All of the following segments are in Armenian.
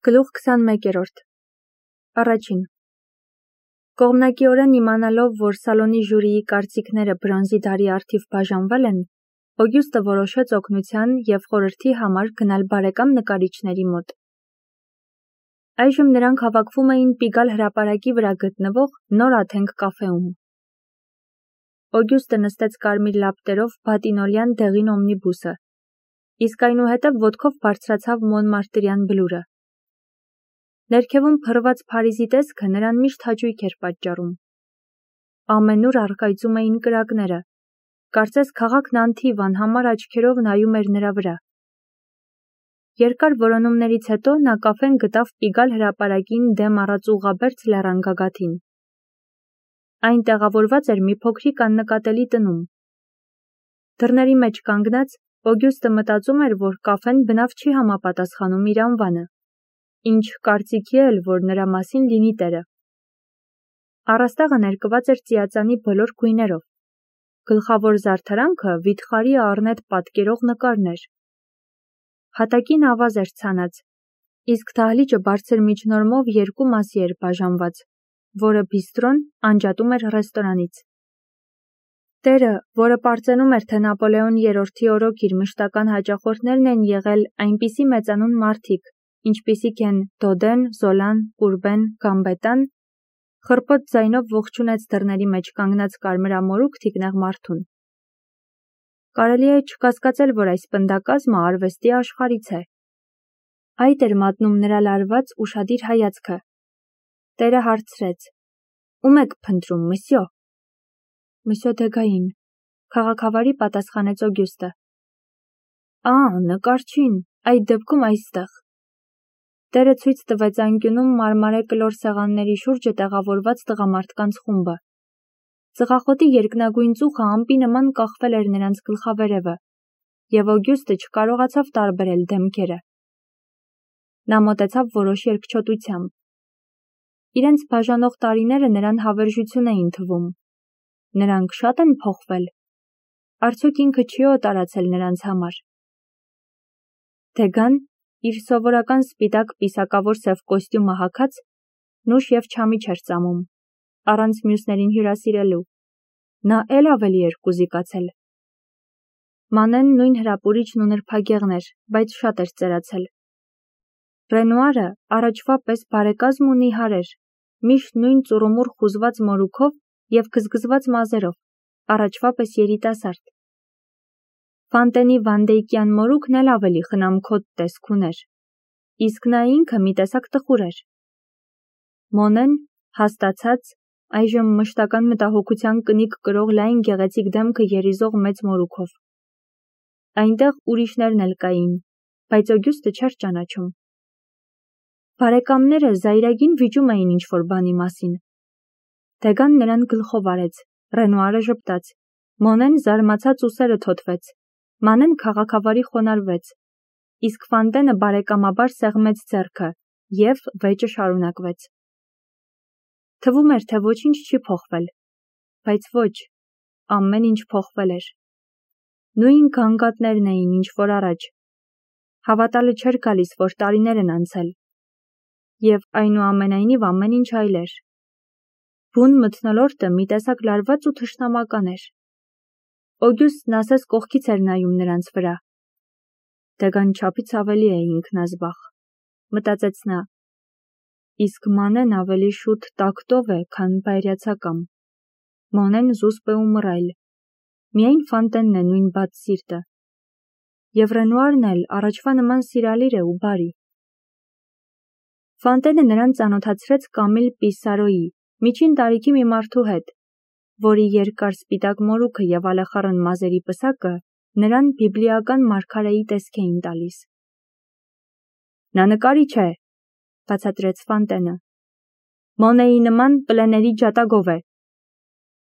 Գլուխ 21-րդ Առաջին Կողմնակիորեն իմանալով, որ սալոնի ժյուրիի կարծիքները բրոնզի դարի առթիվ բաժանվել են, Օգյուստը որոշեց օգնության և խորհրդի համար գնալ բարեկամ նկարիչների մոտ։ Այժմ նրանք հավաքվում էին Պիգալ հրապարակի վրա գտնվող նոր աթենք կաֆեում։ Օգյուստը նստեց կարմիր լապտերով բատինոլյան դեղին օմնիբուսը, իսկ այնուհետև ոտքով բարձրացավ Մոնմարտրյան բլուրը։ Ներքևում փռված Փարիզի տեսքը նրան միշտ հաճույք էր պատճառում։ Ամենուր առկայծում էին կրակները, կարծես քաղաքն անթիվ անհամար աչքերով նայում էր նրա վրա։ Երկար որոնումներից հետո նա կաֆեն գտավ Պիգալ հրապարակին դեմ առած ուղղաբերձ լեռան գագաթին։ Այն տեղավորված էր մի փոքրիկ աննկատելի տնում։ Դռների մեջ կանգնած, Օգյուստը մտածում էր, որ կաֆեն բնավ չի համապատասխանում իր անվանը, ինչ կարծիքի էլ, որ նրա մասին լինի տերը։ Առաստաղը ներկված էր ծիածանի բոլոր գույներով։ Գլխավոր զարդարանքը վիթխարի առնետ պատկերող նկարներ։ Հատակին ավազ էր ցանած, իսկ դահլիճը բարձր միջնորմով երկու մասի էր բաժանված, որը բիստրոն անջատում էր ռեստորանից։ Տերը, որը պարծենում էր, թե Նապոլեոն III-ի օրոք իր մշտական հաճախորդներն են եղել այնպիսի մեծանուն մարդիկ, ինչպիսիք են Դոդեն, Զոլան, Կուրբեն, Գամբետան, խռպոտ ձայնով ողջունեց դռների մեջ կանգնած կարմրամորուք թիկնեղ մարդուն։ Կարելի է չկասկածել, որ այս պնդակազմը արվեստի աշխարհից է։ Այդ էր մատնում նրա լարված ուշադիր հայացքը։ Տերը հարցրեց. «Ում եք փնտրում, մսյո»։ «Մսյո Դեգային», քաղաքավարի պատասխանեց Օգյուստը։ Նկարչին, այդ դեպքում այստեղ։ Տերը ցույց տվեց անկյունում մարմարե կլոր սեղանների շուրջը տեղավորված տղամարդկանց խումբը։ Ծղախոտի երկնագույն ծուխը ամպի նման կախվել էր նրանց գլխավերևը, և Օգյուստը չկարողացավ տարբերել դեմքերը։ Նա մոտեցավ որոշ երկչոտությամբ։ Իրենց բաժանող տարիները նրան հավերժություն էին թվում։ Նրանք շատ են փոխվել։ Արդյոք ինքը չի օտարացել նրանց համար։ Դեգան, իր սովորական սպիտակ պիսակավոր սև կոստյումը հագած, նուշ և չամիչ էր ծամում, առանց մյուսներին հյուրասիրելու։ Նա էլ ավելի էր կուզիկացել։ Մանեն նույն հրապուրիչն ու նրբագեղն էր, բայց շատ էր ծերացել։ Ռենուարը առաջվա պես բարեկազմ ու նիհար էր, միշտ նույն ծուռումուռ խուզված մորուքով և գզգզված մազերով, առաջվա պես երիտասարդ։ Ֆանտենի վանդեյկյան մորուքն էլ ավելի խնամքոտ տեսք ուներ, իսկ նա ինքը մի տեսակ տխուր էր։ Մոնեն, հաստացած, այժմ մշտական մտահոգության կնիկ կրող լայն գեղեցիկ դեմքը երիզող մեծ մորուքով։ Այնտեղ ուրիշներն էլ կային, բայց Օգյուստը չէր ճանաչում։ Բարեկամները զայրագին վիճում էին ինչ-որ բանի մասին։ Դեգան նրան գլխով արեց, Ռենուարը ժպտաց, Մոնեն զարմացած ուսերը թոթվեց, Մանեն քաղաքավարի խոնարհվեց, իսկ Ֆանտենը բարեկամաբար սեղմեց ձեռքը, և վեճը շարունակվեց։ Թվում էր, թե ոչինչ չի փոխվել, բայց ոչ, ամեն ինչ փոխվել էր։ Նույն գանգատներն էին, ինչ որ առաջ։ Հավատալը չէր գալիս, որ տարիներ են անցել։ Եվ այնուամենայնիվ ամեն ինչ այլ էր։ Բուն մթնոլորտը մի տեսակ լարված ու թշնամական էր։ Օգյուստն ասես կողքից էր նայում նրանց վրա։ Դեգան չափից ավելի է ինքնազբաղ, մտածեց նա։ Իսկ Մանեն ավելի շուտ տակտով է, քան բայրացակամ։ Մոնեն զուսպ է ու մռայլ։ Միայն Ֆանտենն է նույն բաց սիրտը։ Եվ Ռենուարն էլ առաջվա նման սիրալիր է ու բարի։ Ֆանտենը նրան ծանոթացրեց Կամիլ Պիսարոյի, միջին տարիքի մի մարդու հետ, որի երկար սպիտակ մորուքը և ալեխառն մազերի պսակը նրան բիբլիական մարգարեի տեսք էին տալիս։ Նա նկարիչ է, բացատրեց Ֆանտենը։ Մոնեի նման պլեների ջատագով է։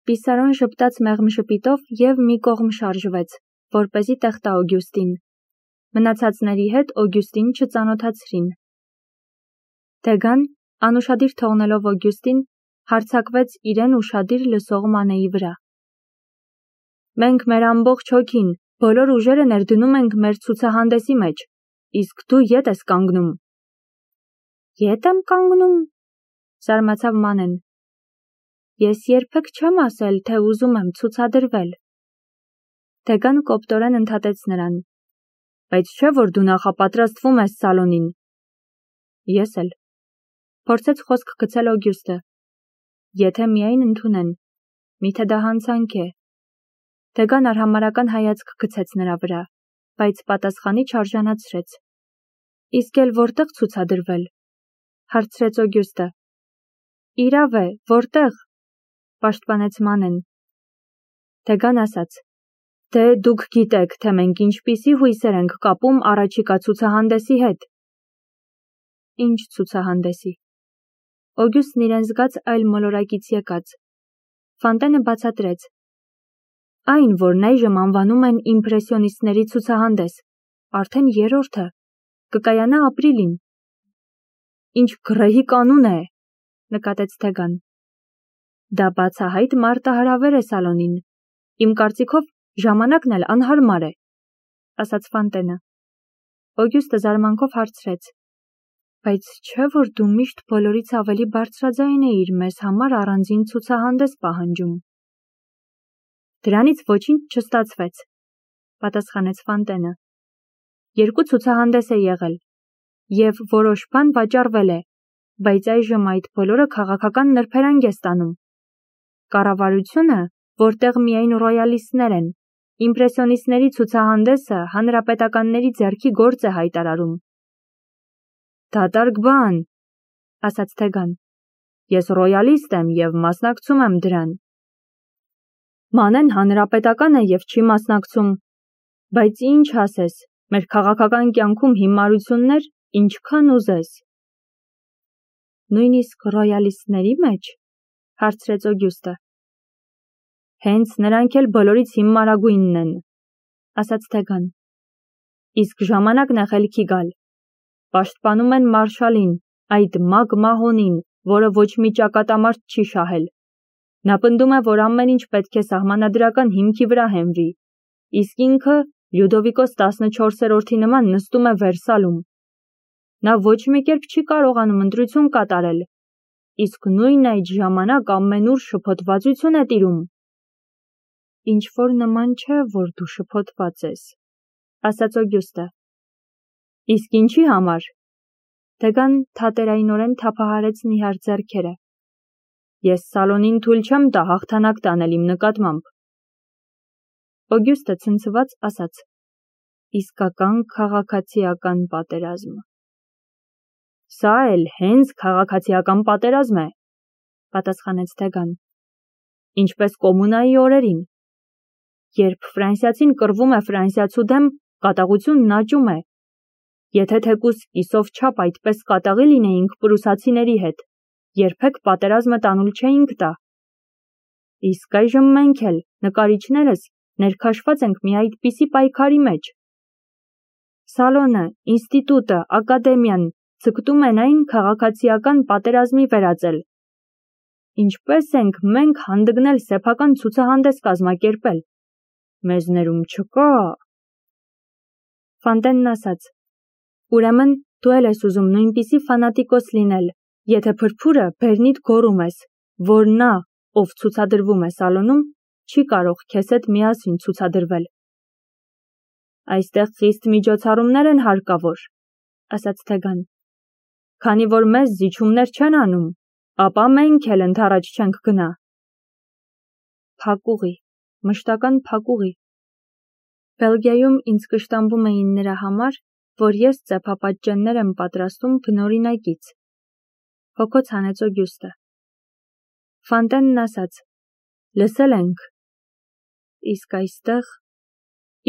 Պիսարոն ժպտաց մեղմ ժպիտով և մի կողմ շարժվեց, որպեսզի տեղ տա Օգյուստին։ Մնացածների հետ Օգյուստին չծանոթացրին։ Դեգան, անուշադիր թողնելով Օգյուստին, հարձակվեց իրեն ուշադիր լսող Մանեի վրա։ Մենք մեր ամբողջ հոգին, բոլոր ուժերը ներդնում ենք մեր ցուցահանդեսի մեջ, իսկ դու ետ ես կանգնում։ Ետ եմ կանգնում, զարմացավ Մանեն։ Ես երբեք չեմ ասել, թե ուզում եմ ցուցադրվել։ Թեգան կոպտորեն ընդհատեց նրան։ Բայց չէ, որ դու նախապատրաստվում ես սալոնին։ Ես էլ։ Փորձեց խոսք գցել Օգյուստը։ Եթե միայն ընդունեն, միթե դա հանցանք է։ Թեգան արհամարհական հայացք գցեց նրա վրա, բայց պատասխանի չարժանացրեց։ Իսկ էլ որտեղ ցուցադրվել, հարցրեց Օգյուստը։ Իրավ է, որտեղ, պաշտպանեց Մանեն։ Թեգան ասաց. Դե դուք գիտեք, թե մենք ինչպիսի հույսեր ենք կապում առաջիկա ցուցահանդեսի հետ։ Ինչ ցուցահանդեսի։ Օգյուստն իրեն զգաց այլ մոլորակից եկած։ Ֆանտենը բացատրեց. Այն, որն այժմ անվանում են իմպրեսիոնիստների ցուցահանդես, արդեն երրորդը, կկայանա ապրիլին։ Ինչ գրեհի կանուն է, նկատեց Թեգան։ Դա բացահայտ մարտահրավեր է սալոնին։ Իմ կարծիքով ժամանակն էլ անհարմար է, ասաց Ֆանտենը։ Օգյուստը զարմանքով հարցրեց. Բայց չէ, որ դու միշտ բոլորից ավելի բարձրաձայն էիր մեզ համար առանձին ցուցահանդես պահանջում։ Դրանից ոչինչ չստացվեց, պատասխանեց Ֆանտենը։ Երկու ցուցահանդես է եղել, եւ որոշ բան վաճառվել է, բայց այժմ այդ բոլորը քաղաքական նրբերանգ է ստանում։ Կառավարությունը, որտեղ միայն ռոյալիստներ են, իմպրեսիոնիստների ցուցահանդեսը հանրապետականների ձեռքի գործ է հայտարարում։ Դատարկ բան, ասաց Թեգան։ Ես ռոյալիստ եմ եւ մասնակցում եմ դրան։ Մանեն հանրապետական է եւ չի մասնակցում, բայց ինչ ասես, մեր քաղաքական կյանքում հիմարություններ ինչքան ուզես։ Նույնիսկ ռոյալիստների մեջ, հարցրեց Օգյուստը։ Հենց նրանք էլ բոլորից հիմարագույնն են, ասաց Թեգան։ Իսկ ժամանակն է խելքի գալ։ Պաշտպանում են մարշալին, այդ մագ մահոնին, որը ոչ մի ճակատամարտ չի շահել։ Նա պնդում է, որ ամեն ինչ պետք է սահմանադրական հիմքի վրա հենվի, իսկ ինքը Լյուդովիկոս 14-րդի նման նստում է Վերսալում։ Նա ոչ մի կերպ չի կարողանում ընտրություն կատարել, իսկ նույն այդ ժամանակ ամենուր շփոթվածություն է տիրում։ Ինչ որ նման չէ, որ դու շփոթված ես, ասաց Օգյուստը։ Իսկ ինչի համար։ Թեգան թատերայնորեն թափահարեց նիհար ձեռքերը։ Ես սալոնին թույլ չեմ տա հաղթանակ տանել իմ նկատմամբ։ Օգյուստը ցնցված ասաց. Իսկական քաղաքացիական պատերազմ։ Սա էլ հենց քաղաքացիական պատերազմ է, պատասխանեց Թեգան։ Ինչպես կոմունայի օրերին։ Երբ ֆրանսիացին կռվում է ֆրանսիացու դեմ, կատաղությունն աճում է։ Եթե թեկուզ կիսով չափ այդպես կատաղի լինեինք պրուսացիների հետ, երբեք պատերազմը տանուլ չէինք տա։ Իսկ այժմ մենք էլ, նկարիչներս, ներքաշված ենք մի այդպիսի պայքարի մեջ։ Սալոնը, ինստիտուտը, ակադեմիան ցկտում են այն քաղաքացիական պատերազմի վերածել։ Ինչպես ենք մենք հանդգնել սեփական ցուցահանդես կազմակերպել։ Մեզ ներում չկա։ Ֆանտենն ասաց. Ուրեմն դու էլ ես ուզում նույնպիսի ֆանատիկոս լինել, եթե փրփուրը բերնիդ գոռում ես, որ նա, ով ցուցադրվում է սալոնում, չի կարող քեզ հետ միասին ցուցադրվել։ Այստեղ խիստ միջոցառումներ են հարկավոր, ասաց Թեգան։ Քանի որ մեզ զիջումներ չեն անում, ապա մենք էլ ընդառաջ չենք գնա։ Փակուղի, մշտական փակուղի։ Բելգիայում ինձ կշտամբում էին նրա համար, որ ես ծեփապատճեններ եմ պատրաստում բնօրինակից։ Հոգոց հանեց Օգյուստը։ Ֆանտենն ասաց. Լսել ենք։ Իսկ այստեղ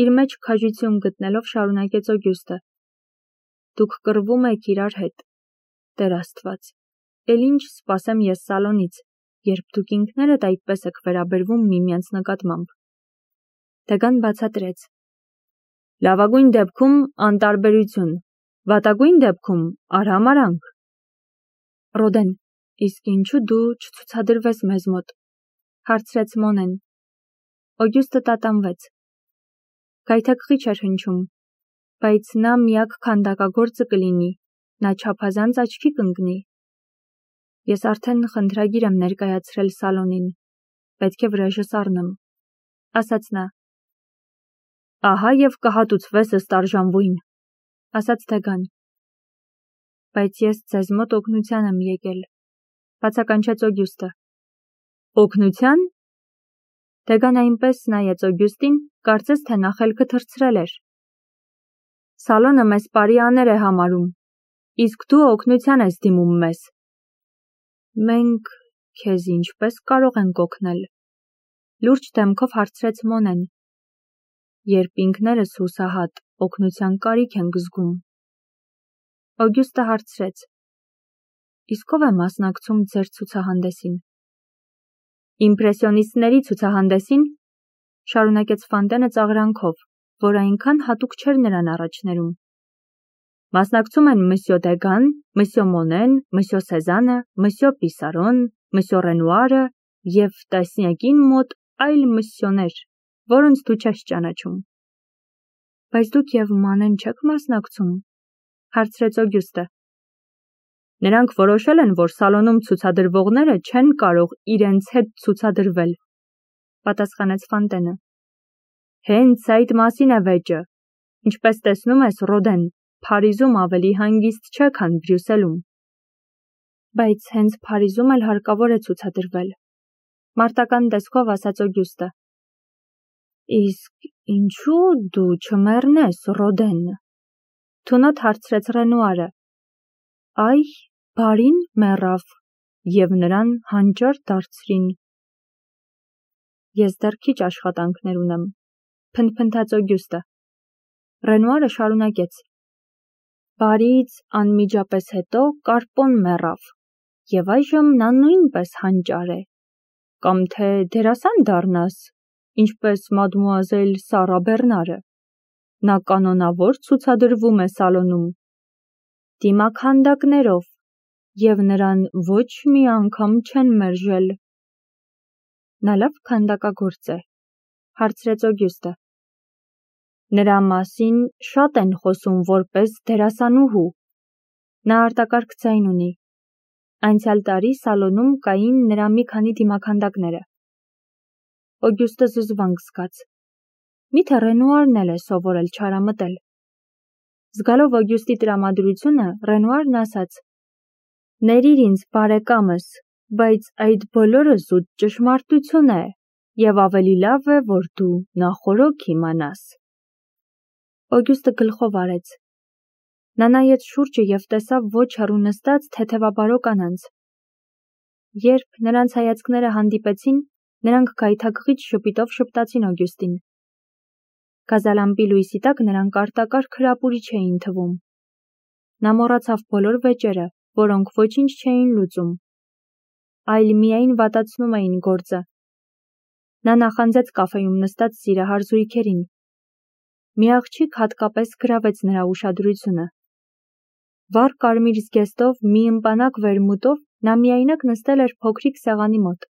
իր մեջ քաջություն գտնելով շարունակեց Օգյուստը. Դուք կռվում եք իրար հետ։ Տեր Աստված, էլ ինչ սպասեմ ես սալոնից, երբ դուք ինքներդ այդպես եք վերաբերվում միմյանց նկատմամբ։ Թեգան բացատրեց. Լավագույն դեպքում անտարբերություն, վատագույն դեպքում արհամարանք։ Ռոդեն, իսկ ինչու դու չցուցադրվես մեզ մոտ, հարցրեց Մոնեն։ Օգյուստը տատանվեց։ Գայթակղի չէր հնչում, բայց նա միակ քանդակագործը կլինի, նա չափազանց աչքի կընկնի։ Ես արդեն խնդրագիր եմ ներկայացրել սալոնին, պետք է վրեժս առնեմ, ասաց նա։ Ահա և կհատուցվես ըստ արժանվույն, ասաց Դեգան։ Բայց ես ձեզ մոտ օգնության եմ եկել, բացականչեց Օգյուստը։ Օգնության։ Դեգան այնպես նայեց Օգյուստին, կարծես թե նա խելքը թռցրել էր։ Սալոնը մեզ պարիաներ է համարում, իսկ դու օգնության ես դիմում մեզ։ Մենք քեզ ինչպես կարող ենք օգնել, լուրջ դեմքով հարցրեց Մոնեն, երբ ինքներս հուսահատ օգնության կարիք ենք զգում։ Օգյուստը հարցրեց. Իսկ ով է մասնակցում ձեր ցուցահանդեսին։ Իմպրեսիոնիստների ցուցահանդեսին, շարունակեց Ֆանտենը ծաղրանքով, որ այնքան հատուկ չէր նրան առաջներում։ Մասնակցում են Մսյո Դեգան, Մսյո Մոնեն, Մսյո Սեզանը, Մսյո Պիսարոն, Մսյո Ռենուարը և տասնյակին մոտ այլ մսյոներ, որոնց դու չես ճանաչում։ Բայց դուք և Մանեն չեք մասնակցում, հարցրեց Օգյուստը։ Նրանք որոշել են, որ սալոնում ցուցադրվողները չեն կարող իրենց հետ ցուցադրվել, պատասխանեց Ֆանտենը։ Հենց այդ մասին է վեճը, ինչպես տեսնում ես, Ռոդեն, Փարիզում ավելի հանգիստ չէ, քան Բրյուսելում։ Բայց հենց Փարիզում էլ հարկավոր է ցուցադրվել, մարտական տեսքով ասաց Օգյուստը։ Իսկ ինչու դու չմեռնես, Ռոդեն, թունոտ հարցրեց Ռենուարը։ Այ, բարին մեռավ, և նրան հանճար դարձրին։ Ես դեռ քիչ աշխատանքներ ունեմ, փնթփնթաց Օգյուստը։ Ռենուարը շարունակեց. Բարից անմիջապես հետո Կարպոն մեռավ, և այժմ նա նույնպես հանճար է, կամ թե դերասան դառնաս, ինչպես մադմուազել Սառա Բեռնարը, նա կանոնավոր ցուցադրվում է սալոնում, դիմաքանդակներով, և նրան ոչ մի անգամ չեն մերժել։ Նա լավ քանդակագործ է, հարցրեց Օգյուստը։ Նրա մասին շատ են խոսում որպես դերասանուհու, նա արտակարգ ձայն ունի։ Անցյալ տարի սալոնում կային նրա մի քանի դիմաքանդակները։ Օգյուստը զզվանք զգաց։ Միթե Ռենուարն էլ է սովորել չարամտել։ Զգալով Օգյուստի տրամադրությունը, Ռենուարն ասաց. Ներիր ինձ, բարեկամս, բայց այդ բոլորը զուտ ճշմարտություն է, և ավելի լավ է, որ դու նախօրոք իմանաս։ Օգյուստը գլխով արեց։ Նա նայեց շուրջը և տեսավ ոչ հեռու նստած թեթևաբարո կանանց։ Երբ նրանց հայացքները հանդիպեցին, նրանք գայթակղիչ ժպիտով շպտացին Օգյուստին։ Գազալամպի լույսի տակ նրանք արտակարգ հրապուրիչ էին թվում։ Նա մոռացավ բոլոր վեճերը, որոնք ոչինչ չէին լուծում, այլ միայն վատացնում էին գործը։ Նա նախանձեց կաֆեում նստած սիրահար զույգերին։ Մի աղջիկ հատկապես գրավեց նրա ուշադրությունը։ Վառ կարմիր զգեստով մի ըմպանակ վերմուտով նա միայնակ նստել էր փոքրիկ սեղանի մոտ։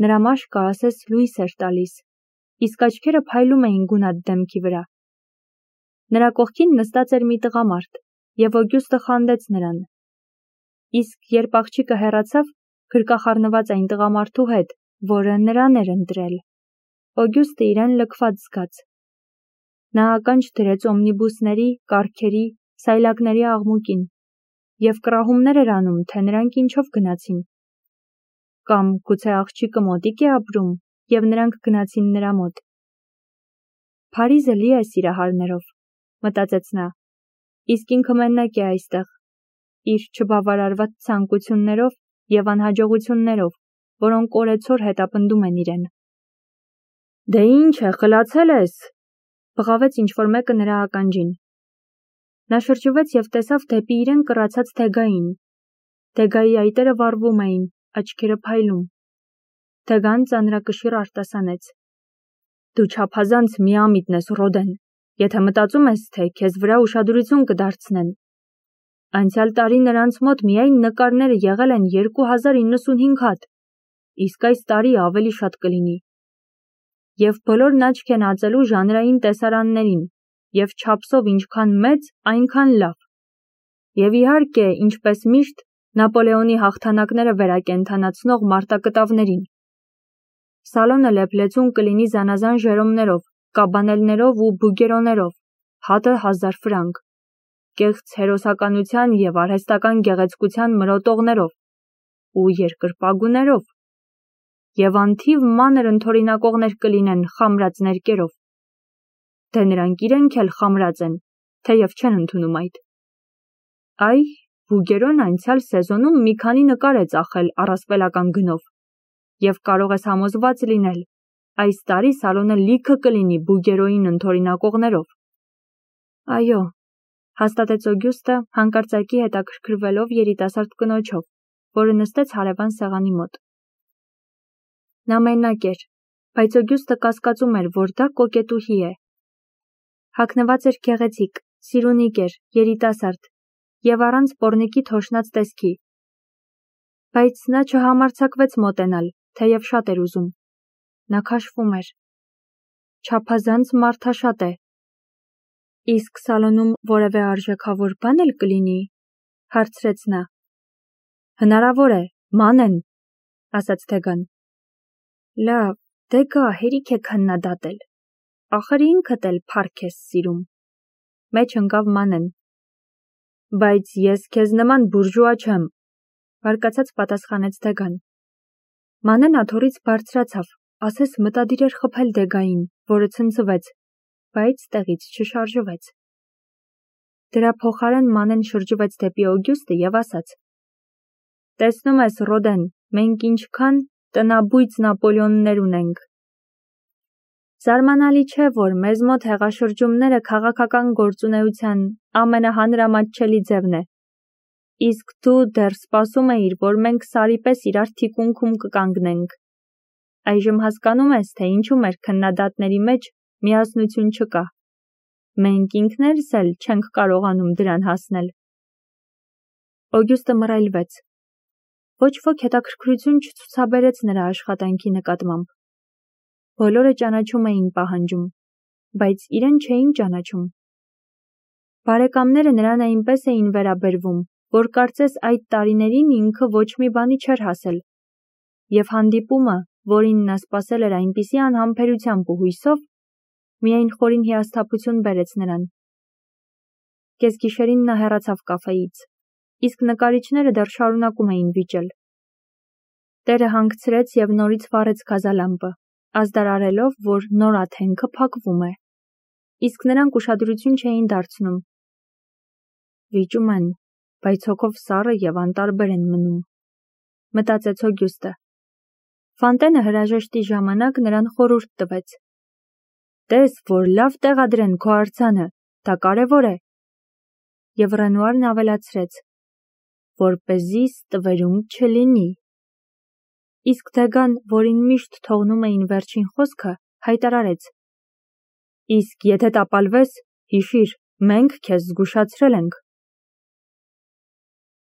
Նրա մաշկը ասես լույս էր տալիս, իսկ աչքերը փայլում էին գունատ դեմքի վրա։ Նրա կողքին նստած էր մի տղամարդ, և Օգյուստը խանդեց նրան։ Իսկ երբ աղջիկը հեռացավ, գրկախառնված այն տղամարդու հետ, որը նրան էր ընտրել, Օգյուստը իրեն լքված զգաց։ Նա ականջ դրեց օմնիբուսների, կառքերի, սայլակների աղմուկին, և կռահումներ էր անում, թե նրանք ինչով գնացին։ Կամ գուցե աղջիկը մոտիկ է ապրում, և նրանք գնացին նրա մոտ։ Փարիզը լի է սիրահարներով, մտածեց նա, իսկ ինքը մենակ է այստեղ, իր չբավարարված ցանկություններով և անհաջողություններով, որոնք օրեցօր հետապնդում են իրեն։ Դե ինչ է, խլացել ես, բղավեց ինչ-որ մեկը նրա ականջին։ Նա շրջվեց և տեսավ դեպի իրեն կռացած Դեգային։ Դեգայի այտերը վառվում էին, աչքերը փայլում։ Դեգան ծանրակշիռ արտասանեց. Դու չափազանց միամիտն ես, Ռոդեն, եթե մտածում ես, թե քեզ վրա ուշադրություն կդարձնեն։ Անցյալ տարի նրանց մոտ միայն նկարները եղել են 2095 հատ, իսկ այս տարի ավելի շատ կլինի։ Եվ բոլորն աչք են ածելու ժանրային տեսարաններին, և չափսով ինչքան մեծ, այնքան լավ։ Եվ իհարկե, ինչպես միշտ, Նապոլեոնի հաղթանակները վերակենդանացնող մարտակտավներին։ Սալոնը լեփլեցուն կլինի զանազան ժերոմներով, կաբանելներով ու բուգերոներով, հատը 1000 ֆրանկ, կեղծ հերոսականության և արհեստական գեղեցկության մրոտողներով ու երկրպագուներով, և անթիվ մանր ընդօրինակողներ կլինեն խամրած ներկերով։ Դե նրանք իրենք էլ խամրած են, թեև չեն ընդունում այդ։ Այ, բուգերոն անցյալ սեզոնում մի քանի նկար է ծախել առասպելական գնով, և կարող ես համոզված լինել, այս տարի սալոնը լիքը կլինի բուգերոյին ընդօրինակողներով։ Այո, հաստատեց Օգյուստը, հանկարծակի հետաքրքրվելով երիտասարդ կնոջով, որը նստեց հարևան սեղանի մոտ։ Նա մենակ էր, բայց Օգյուստը կասկածում էր, որ դա կոկետուհի է։ Հագնված էր գեղեցիկ, սիրունիկ էր, երիտասարդ և առանց պոռնիկի թոշնած տեսքի։ Բայց նա չհամարձակվեց մոտենալ, թեև շատ էր ուզում։ Նա քաշվում էր։ Չափազանց մարդաշատ է։ Իսկ սալոնում որևէ արժեքավոր բան էլ կլինի, հարցրեց նա։ Հնարավոր է, մանեն, ասաց Դեգան։ Լավ, դե գա, հերիք է քննադատել։ Ախր ինքդ էլ փառք ես սիրում։ Մեջ ընկավ Մանեն։ Բայց ես քեզ նման բուրժուա չեմ, բարկացած պատասխանեց Դեգան։ Մանեն աթոռից բարձրացավ, ասես մտադիր էր խփել Դեգային, որը ցնցվեց, բայց տեղից չշարժվեց։ Դրա փոխարեն Մանեն շրջվեց դեպի Օգյուստը և ասաց. Տեսնում ես, Ռոդեն, մենք ինչքան տնաբույծ Նապոլեոններ ունենք։ Զարմանալի չէ, որ մեզ մոտ հեղաշրջումները քաղաքական գործունեության ամենահանրամատչելի ձևն է։ Իսկ դու դեռ սպասում էիր, որ մենք սարի պես իրար թիկունքում կկանգնենք։ Այժմ հասկանում ես, թե ինչու մեր քննադատների մեջ միասնություն չկա։ Մենք ինքներս էլ չենք կարողանում դրան հասնել։ Օգյուստը մռայլվեց։ Ոչ ոք հետաքրքրություն չցուցաբերեց նրա աշխատանքի նկատմամբ։ Բոլորը ճանաչում էին պահանջում, բայց իրեն չէին ճանաչում։ Բարեկամները նրան այնպես էին վերաբերվում, որ կարծես այդ տարիներին ինքը ոչ մի բանի չէր հասել, և հանդիպումը, որին նա սպասել էր այնպիսի անհամբերությամբ ու հույսով, միայն խորին հիասթափություն բերեց նրան։ Կեսգիշերին նա հեռացավ կաֆեից, իսկ նկարիչները դեռ շարունակում էին վիճել։ Տերը հանգցրեց և նորից վառեց գազալամպը, ազդարարելով, որ նոր աթենքը փակվում է, իսկ նրանք ուշադրություն չէին դարձնում։ Վիճում են, բայց հոգով սառը և անտարբեր են մնում, մտածեց Օգյուստը։ Ֆանտենը հրաժեշտի ժամանակ նրան խորհուրդ տվեց. Տես, որ լավ տեղադրեն քո արձանը, դա կարևոր է։ Եվ Ռենուարն ավելացրեց. որպեսզի ստվերում չլինի։ Իսկ Դեգան, որին միշտ թողնում էին վերջին խոսքը, հայտարարեց. Իսկ եթե տապալվես, հիշիր, մենք քեզ զգուշացրել ենք։